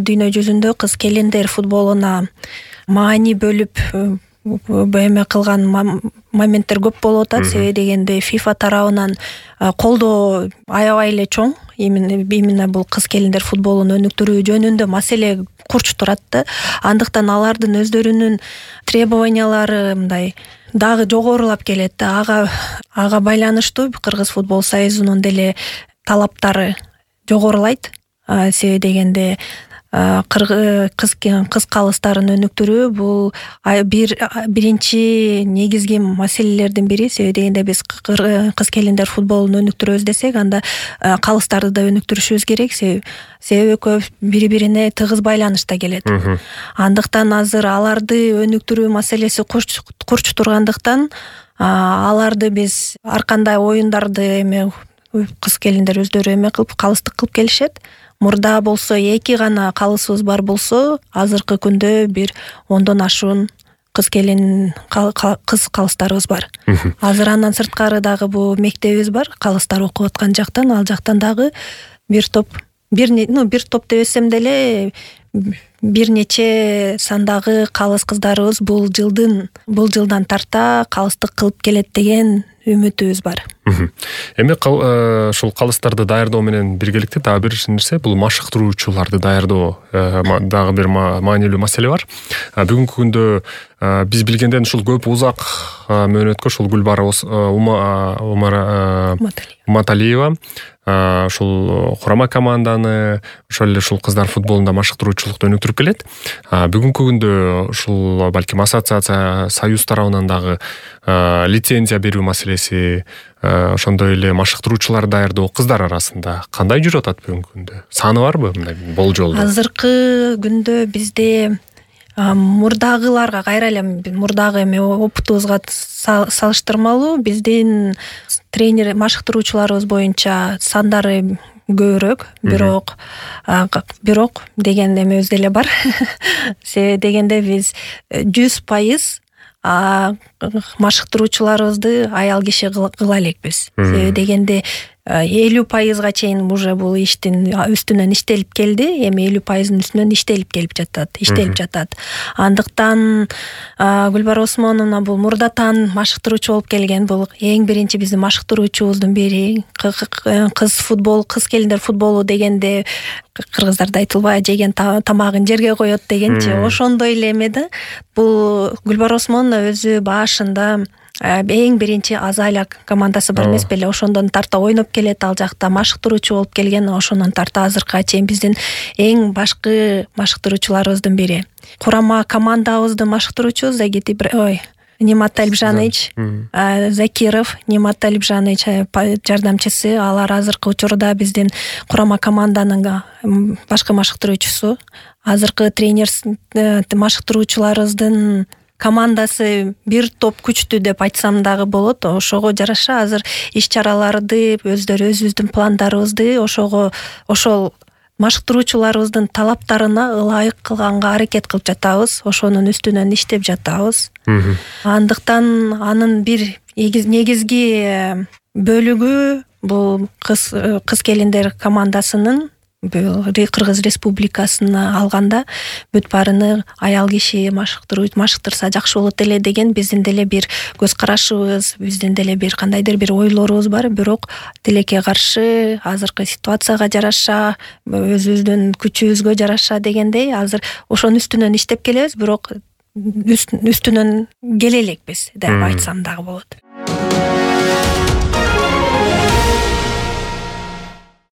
дүйнө жүзүндө кыз келиндер футболуна маани бөлүп эме кылган моменттер көп болуп атат. Себеби дегенде FIFA тарабынан колдоо аябай эле чоң. Именно бул кыз келиндер футболун өнүктүрүү жөнүндө маселе курч турат да. Андыктан алардын өздөрүнүн требованиялары мындай дагы жогорулап келет да. Ага байланыштуу Кыргыз футбол союзунун деле талаптары жогорулайт. Себеби дегенде кыз калыстарын өнүктүрүү бул биринчи негизги маселелердин бири. Себеби дегенде биз кыз келиндер футболун өнүктүрөбүз десек, анда калыстарды да өнүктүрүшүбүз керек. Себеби көп бири-бирине тыгыз байланышта келет. Андыктан азыр аларды өнүктүрүү маселеси курч тургандыктан аларды биз ар кандай оюндарды кыз келиндер өздөрү калыстык кылып келишет. Мурда болсо 2 гана калысыбыз бар болсо, азыркы күндө бир 10дон ашуун кыз калыстарыбыз бар. Азыр андан сырткары дагы бул мектебибиз бар, калыстар окуп аткан жактан, ал жактан дагы бир топ дебесем деле бир нече сандагы калыс кыздарыбыз бул жылдан тарта калыстык кылып келет деген үмүтүбүз бар. Эми ушул калыстарды даярдоо менен биргеликте дагы бир нерсе, бул машыктыруучуларды даярдоо дагы бир маанилүү маселе бар. Бүгүнкү күндө биз билгенден ушул көп узак мөөнөткө ушул Гүлбара Уматалиева ушул курама команданы, ошол эле ушул кыздар футболунда машыктыруучулукту өнүктүрүп келет. Бүгүнкү күндө ушул балким ассоциация, союз тарабынан дагы лицензия берүү маселеси, ошондой эле машыктыруучулар даярдоо кыздар арасында кандай жүрүп атат бүгүнкү күндө? Саны барбы мындай болжолдо? Азыркы күндө бизде мурдагыларга кайра эле мурдагы опытыбызга салыштырмалуу биздин тренер машыктыруучуларыбыз боюнча сандары көбүрөөк, бирок деген эмебиз деле бар. Себеби дегенде биз 100% машыктыруучуларыбызды аял киши кыла элекпиз. Себеби дегенде 50%га чейин уже бул иштин үстүнөн иштелип келди. Эми 50%-ын үстүнөн иштелип жатат. Андыктан Гүлбара Усмановна бул мурдатан машыктыруучу болуп келген. Бул эң биринчи биздин машыктыруучубуздун бири. Кыз келиндер футболу дегенде кыргыздарда айтылбай жеген тамагын жерге коет дегенчи, ошондой эле эме да. Бул Гүлбара Усмановна өзү башында эң биринчи Азалия командасы бар эмес беле, ошондон тарта ойноп келет, ал жакта машыктыруучу болуп келген, ошондон тарта азыркыга чейин биздин эң башкы машыктыруучуларыбыздын бири. Курама командабыздын машыктыруучусу Нимат Алипжанович Закиров, Нимат Алипжанович жардамчысы, алар азыркы учурда биздин курама команданын башкы машыктыруучусу. Азыркы тренер машыктыруучуларыбыздын командасы бир топ күчтүү деп айтсам дагы болот. Ошого жараша азыр иш-чараларды өзүбүздүн пландарыбызды ошол машыктыруучуларыбыздын талаптарына ылайык кылганга аракет кылып жатабыз. Ошонун үстүнөн иштеп жатабыз. Андыктан анын бир негизги бөлүгү бул кыз келиндер командасынын Кыргыз Республикасына алганда бүт баарыны аял киши машыктырса жакшы болот эле деген биздин деле бир көз карашыбыз, биздин деле бир кандайдыр бир ойлорубуз бар. Бирок тилекке каршы азыркы ситуацияга жараша, өзүбүздүн күчүбүзгө жараша дегендей азыр ошонун үстүнөн иштеп келебиз, бирок үстүнөн келе элекпиз деп айтсам дагы болот.